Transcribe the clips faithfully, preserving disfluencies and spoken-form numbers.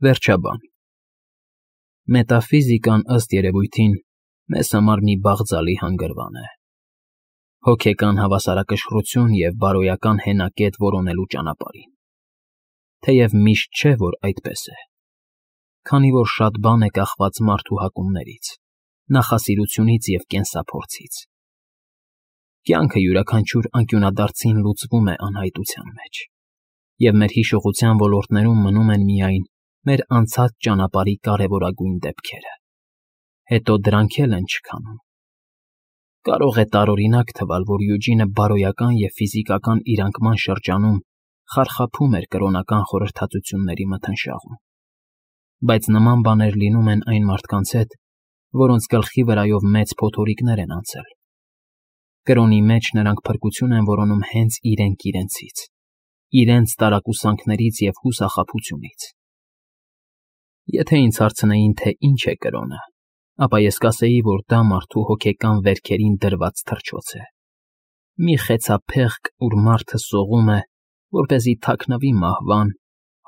Վերջաբան Մետաֆիզիկան, ըստ երևույթին, մեզ համար մի բաղձալի հանգրվան է, հոգեկան հավասարակշռություն և բարոյական հենակետ որոնելու ճանապարհին, թեև միշտ չէ, որ այդպես է, քանի որ շատ բան է կախված մարդու հակումներից, նախասիրությունից և կենսափորձից։ Կյանքը յուրաքանչյուր անկյունադարձին լուծվում է անհայտության մեջ, և մեր հիշողության ոլորտներում մնում են միայն մեր անցած ճանապարհի կարևորագույն դեպքերը, հետո դրանք էլ են չքանում։ Կարող է տարօրինակ թվալ, որ Յուջինը բարոյական և ֆիզիկական իր անկման շրջանում խարխափում էր կրոնական խորհրդածությունների մթնշաղում, բայց նման բաներ լինում են այն մարդկանց հետ, որոնց գլխի վրայով մեծ փոթորիկներ են անցել։ Կրոնի մեջ նրանք փրկություն են որոնում հենց իրենք իրենցից, իրենց տարակուսանքներից և հուսախաբությունից։ Եթե ինձ հարցնեին, թե ինչ է կրոնը, ապա ես կասեի, որ դա մարդու հոգեկան վերքերին դրված թռչոց է, մի խեցափեղկ, ուր մարդը սողում է, որպեսզի թաքնվի մահվան,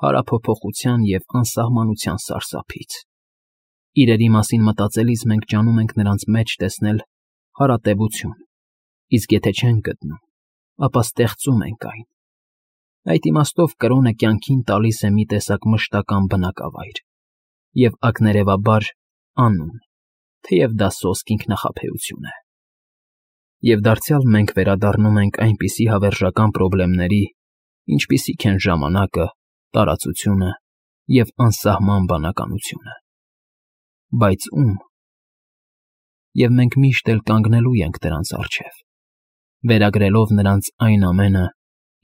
հարափոփոխության և անսահմանության սարսափից։ Իրերի մասին մտածելիս մենք ջանում ենք նրանց մեջ տեսնել հարատևություն, իսկ եթե չենք գտնում, ապա ստեղծում ենք այն։ Այդ իմաստով կրոնը կյանքին տալիս է մի տեսակ մշտական բնակավայր և ակներևաբար անուն, թեև դա սոսկ ինքնախաբեություն է։ Եվ դարձյալ մենք վերադառնում ենք այնպիսի հավերժական պրոբլեմների, ինչպիսիք են ժամանակը, տարածությունը և անսահման բանականությունը։ Բայց ո՞ւմ։ Եվ մենք միշտ էլ կանգնելու ենք դրանց առջև, վերագրելով նրանց այն ամենը,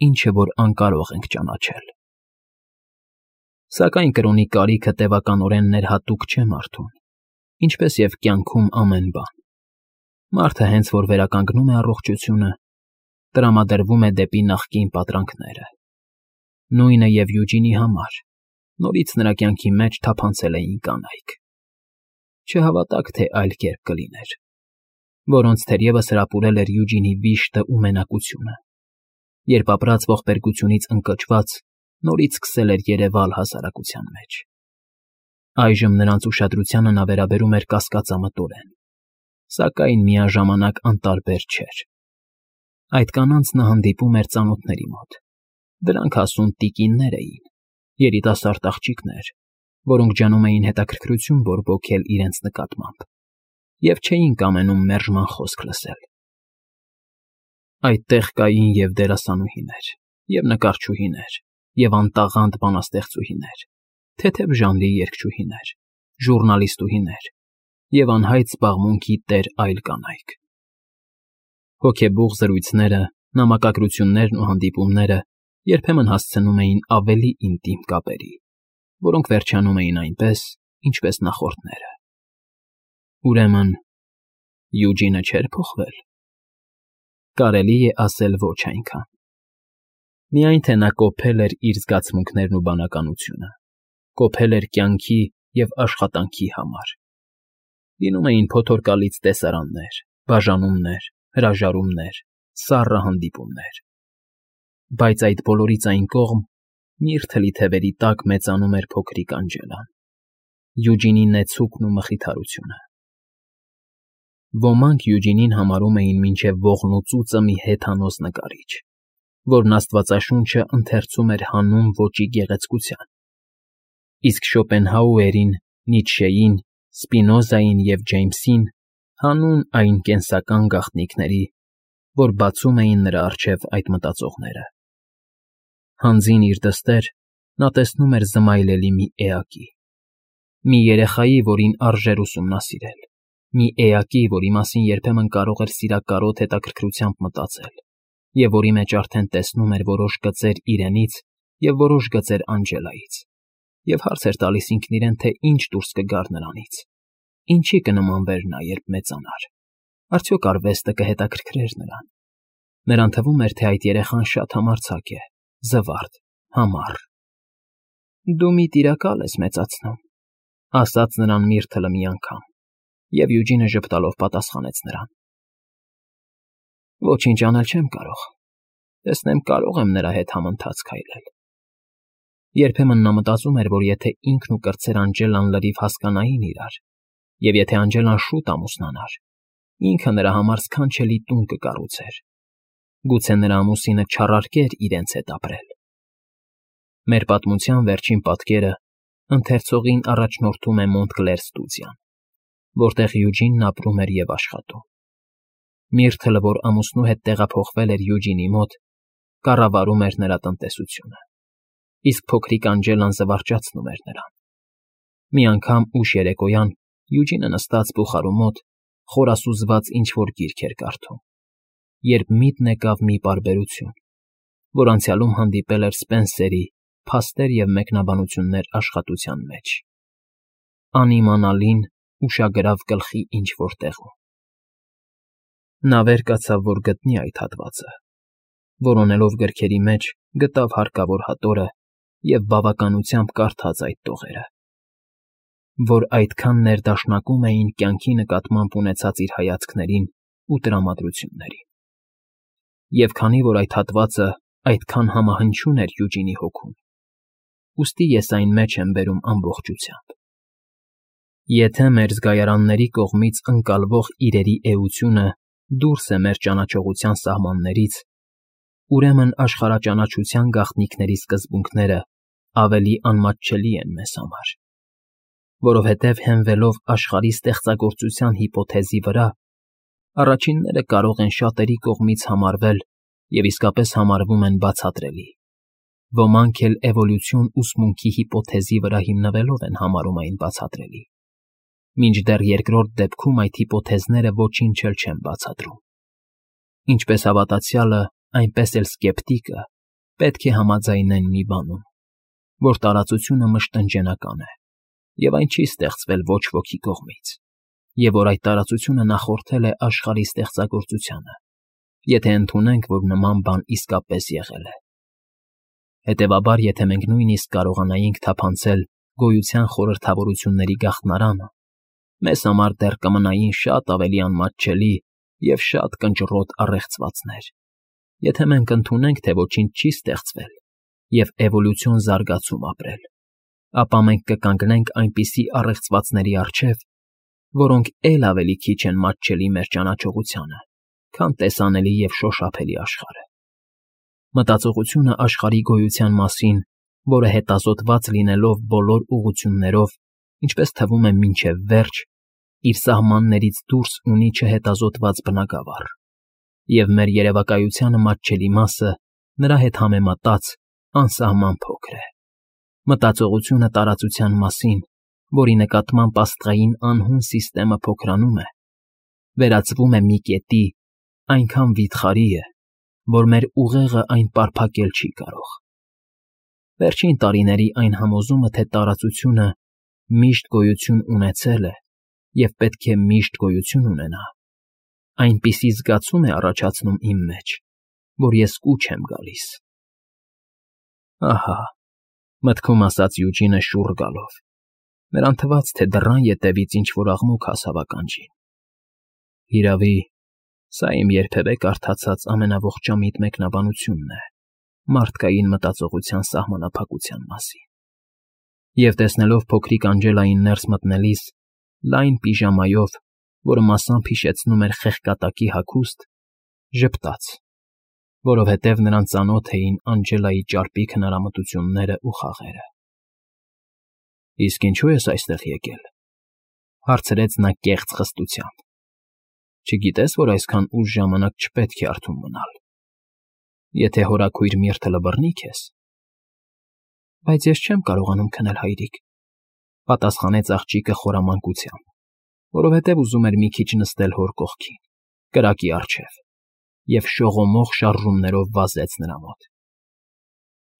ինչը որ անկարող ենք ճանաչել։ Սակայն կրոնի կարիքը տևականորեն ներհատուկ չէ մարդուն, ինչպես և կյանքում ամեն բան։ Մարդը հենց որ վերականգնում է առողջությունը, տրամադրվում է դեպի նախկին պատրանքները։ Նույնը և Յուջինի համար, նորից նրա կյանքի մեջ թափանցել էին կանայք։ Չհավատաք, թե այլ կերպ կլիներ, որոնց թերևս հրապուրել էր Յուջինի վիշտը ու մենակությունը, երբ ապրած ողբերգությունից ընկճված նորից սկսել էր երևալ հասարակության մեջ։ Այժմ նրանց ուշադրությանը նա վերաբերում էր կասկածամտորեն, սակայն միաժամանակ անտարբեր չէր։ Այդ կանանց նա հանդիպում էր ծանոթների մոտ։ Դրանք հասուն տիկիններ էին, երիտասարդ աղջիկներ, որոնք ջանում էին հետաքրքրություն բորբոքել իրենց նկատմամբ և չէին կամենում մերժման խոսք լսել։ Այդտեղ կային և դերասանուհիներ, և նկարչուհիներ, և անտաղանդ բանաստեղծուհիներ, թեթև ժանրի երգչուհիներ, ժուռնալիստուհիներ և անհայտ զբաղմունքի տեր այլ կանայք։ Հոգեբուխ զրույցները, նամակագրություններն ու հանդիպումները երբեմն հասցնում էին ավելի ինտիմ կապերի, որոնք վերջանում էին այնպես, ինչպես նախորդները։ Ուրեմն Յուջինը չէր փոխվել։ Կարելի է ասել ոչ այնքան։ Միայն թե նա կոփել էր իր զգացմունքներն ու բանականությունը, կոփել էր կյանքի և աշխատանքի համար։ Լինում էին փոթորկալից տեսարաններ, բաժանումներ, հրաժարումներ, սառը հանդիպումներ։ Բայց այդ բոլորից այն կողմ, միրթ թլի թևերի տակ մեծանում էր փոքրիկ Անջելան, Յուջինի նեցուկն ու մխիթարությունը։ Ոմանք Յուջինին համարում էին մինչև ողնուծուծը մի հեթանոս նկարիչ, որն աստվածաշունչը ընթերցում էր հանուն ոճի գեղեցկության, իսկ Շոպենհաուերին, Նիցշեին, Սպինոզային և Ջեյմսին հանուն այն կենսական գաղտնիքների, որ բացում էին նրա առջև այդ մտածողները։ Հանձին իր դստեր նա տեսնում էր զմայլելի մի էակի, մի երեխայի, որին արժեր ուսումնասիրել, մի էակի, որի մասին երբեմն կարող էր սիրակարոտ հետաքրքրությամբ մտածել և որի մեջ արդեն տեսնում էր որոշ գծեր իրենից և որոշ գծեր Անջելայից, և հարց էր տալիս ինքն իրեն, թե ինչ դուրս կգար նրանից, ինչի կնմանվեր նա, երբ մեծանար, արդյոք արվեստը կհետաքրքրեր նրան։ Նրան թվում էր, թե այդ երեխան շատ համարձակ է, զվարթ, համառ։ Դու մի տիրակալ ես մեծացնում, ասաց նրան Միրթլը մի անգամ, և Յուջինը ժպտալով պատասխանեց նրան. Ոչինչ անել չեմ կարող, տեսնեմ կարող եմ նրա հետ համընթաց քայլել։ Երբեմն նա մտածում էր, որ եթե ինքն ու կրտսեր Անջելան լրիվ հասկանային իրար, և եթե Անջելան շուտ ամուսնանար, ինքը նրա համար սքանչելի տուն կկառուցեր, գուցե նրա ամուսինը չառարկեր իրենց հետ ապրել։ Մեր պատմության վերջին պատկերը ընթերցողին առաջնորդում է Մոնտկլեր ստուդիան, որտեղ Յուջինն ապրում էր և աշխատում։ Միրթլը, որ ամուսնու հետ տեղափոխվել էր Յուջինի մոտ, կառավարում էր նրա տնտեսությունը, իսկ փոքրիկ Անջելան զվարճացնում էր նրան։ Մի անգամ ուշ երեկոյան Յուջինը նստած բուխարու մոտ խորասուզված ինչ֊որ գիրք էր կարդում, երբ միտն եկավ մի պարբերություն, որ անցյալում հանդիպել էր Սպենսերի «Փաստեր և մեկնաբանություններ» աշխատության մեջ, անիմանալին ուշագրավ գլխի ինչ֊որ տեղում։ Նա վեր կացավ, որ գտնի այդ հատվածը, որոնելով գրքերի մեջ գտավ հարկավոր հատորը և բավականությամբ կարդաց այդ տողերը, որ այդքան ներդաշնակում էին կյանքի նկատմամբ ունեցած իր հայացքներին ու տրամադրություններին։ Եվ քանի որ այդ հատվածը այդքան համահնչյուն էր Յուջինի հոգուն, ուստի ես այն մեջ եմ բերում ամբողջությամբ։ Եթե մեր զգայարանների կողմից ընկալվող իրերի էությունը դուրս է մեր ճանաչողության սահմաններից, ուրեմն աշխարհաճանաչության գաղտնիքների սկզբունքները ավելի անմատչելի են մեզ համար, որովհետև հենվելով աշխարհի ստեղծագործության հիպոթեզի վրա, առաջինները կարող են շատերի կողմից համարվել և իսկապես համարվում են բացատրելի, ոմանք էլ էվոլյուցիոն ուսմունքի հիպոթեզի վրա հիմնվելով են համարում այն բացատրելի, մինչդեռ երկրորդ դեպքում այդ հիպոթեզները ոչինչ էլ չեն բացատրում։ Ինչպես հավատացյալը, այնպես էլ սկեպտիկը պետք է համաձայնեն մի բանում, որ տարածությունը մշտնջենական է, և այն չի ստեղծվել ոչ ոքի կողմից, և որ այդ տարածությունը նախորդել է աշխարհի ստեղծագործությանը, եթե ընդունենք, որ նման բան իսկապես եղել է։ Հետևաբար, եթե մենք նույնիսկ կարողանայինք թափանցել գոյության խորհրդավորությունների գաղտնարանը, մեզ համար դեռ կմնային շատ ավելի անմատչելի և շատ կնճռոտ առեղծվածներ, եթե մենք ընդունենք, թե ոչինչ չի ստեղծվել և էվոլյուցիոն զարգացում ապրել, ապա մենք կկանգնենք այնպիսի առեղծվածների առջև, որոնք էլ ավելի քիչ են մատչելի մեր ճանաչողությանը, քան տեսանելի և շոշափելի աշխարհը։ Մտածողությունը աշխարհի գոյության մասին, որը հետազոտված լինելով բոլոր ուղղություններով, ինչպես թվում է մինչև վերջ, իր սահմաններից դուրս ունի չհետազոտված բնագավառ, և մեր երևակայությանը մատչելի մասը նրա հետ համեմատած անսահման փոքր է։ Մտածողությունը տարածության մասին, որի նկատմամբ աստղային անհուն սիստեմը փոքրանում է, վերածվում է մի կետի, այնքան վիթխարի է, որ մեր ուղեղը այն պարփակել չի կարող։ Վերջին տարիների այն համոզումը, թե տարածությունը միշտ գոյություն ունեցել է և պետք է միշտ գոյություն ունենա, այնպիսի զգացում է առաջացնում իմ մեջ, որ ես կուչ եմ գալիս։ Ահա, մտքում ասաց Յուջինը շուռ գալով, նրան թվաց, թե դռան ետևից ինչ֊որ աղմուկ հասավ ականջին։ Հիրավի, սա իմ երբևէ կարդացած ամենաողջամիտ մեկնաբանությունն է մարդկային մտածողության սահմանափակության մասին։ Եվ տեսնելով փոքրիկ Անջելային ներս մտնելիս, լայն պիժամայով, որը մասամբ հիշեցնում էր խեղկատակի հագուստ, ժպտաց, որովհետև նրան ծանոթ էին Անջելայի ճարպիկ հնարամտություններն ու խաղերը։ ֊ Իսկ ինչո՞ւ ես այստեղ եկել,֊ հարցրեց նա կեղծ խստությամբ։ Չգիտե՞ս, որ այսքան ուշ ժամանակ չպետք է արթուն մնալ, եթե հորաքույր Միրթլը բռնի քեզ։ ֊ Բայց ես չեմ կարողանում քնել, հայրիկ,֊ պատասխանեց աղջիկը խորամանկությամբ, որովհետև ուզում էր մի քիչ նստել հոր կողքին, կրակի առջև, և շողոմող շարժումներով վազեց նրա մոտ։ ֊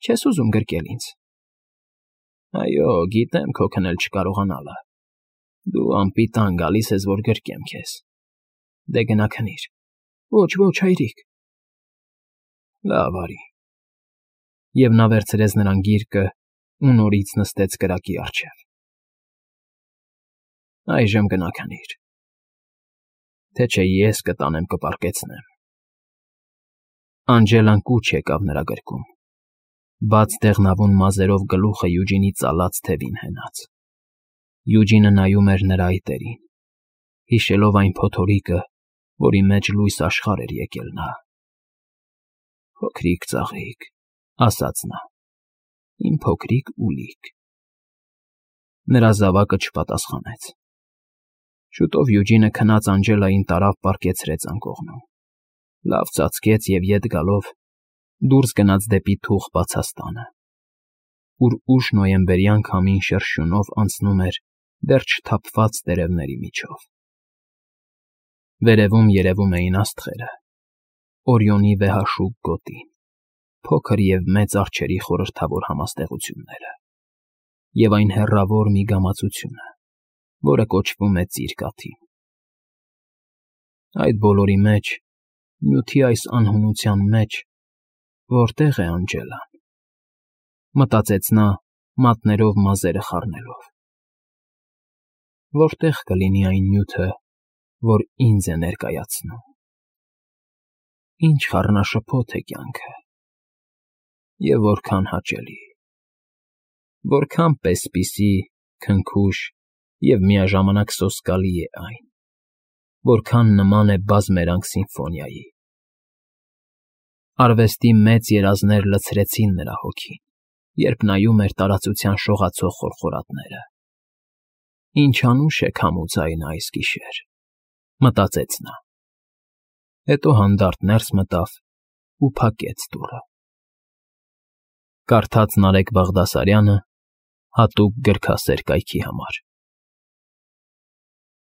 Չե՞ս ուզում գրկել ինձ։ ֊ Այո, գիտեմ քո քնել չկարողանալը։ Դու անպիտան գալիս ես, որ գրկեմ քեզ։ Դե գնա քնիր։ ֊ Ոչ, ոչ, հայրիկ։ ֊ Լավ, արի։ Եվ նա վերցրեց նրան գիրկն ու նորից նստեց կրակի առջև։ Այժմ գնա քնիր, թե չէ ես կտանեմ կպառկեցնեմ։ Անջելան կուչ եկավ նրա գրկում, Բաց դեղնավուն մազերով գլուխը Յուջինի ծալած թևին հենած։ Յուջինը նայում էր նրա այտերին, հիշելով այն փոթորիկը, որի մեջ լույս աշխարհ էր եկել նա։ «Փոքրիկ ծաղիկ», ասաց նա, «իմ փոքրիկ ուլիկ»։ Նրա զավակը չպատասխանեց։ Շուտով Յուջինը քնած Անջելային տարավ պառկեցրեց անկողնում, լավ ծածկեց և ետ գալով դուրս գնաց դեպի թուխ բացաստանը, ուր ուշ նոյեմբերյան քամին շրշյունով անցնում էր դեռ չթափված տերևների միջով։ Վերևում երևում էին աստղերը, Օրիոնի վեհաշուկ գոտին, փոքր և մեծ արջերի խորհրդավոր համաստեղությունները և այն հեռավոր մի գամացությունը, որը կոչվում է Ծիր Կաթիլ։ Այդ բոլորի մեջ, նյութի այս անհունության մեջ որտե՞ղ է Անջելան, մտածեց նա մատներով մազերը խառնելով։ Որտե՞ղ կլինի այն նյութը, որ ինձ է ներկայացնում։ Ինչ խառնաշփոթ է կյանքը, և որքան հաճելի, որքան պեսպիսի, քնքուշ և միաժամանակ սոսկալի է այն, որքան նման է բազմերանգ սիմֆոնիայի։ Արվեստի մեծ երազներ լցրեցին նրա հոգին, երբ նայում էր տարածության շողացող խորխորատները։ Ինչ անուշ է քամու ձայնը այս գիշեր, մտածեց նա։ Հետո հանդարտ ներս մտավ ու փակեց դուռը։ Կարդաց Նարեկ Բաղդասարյանը հատուկ գրքասեր կայքի համար։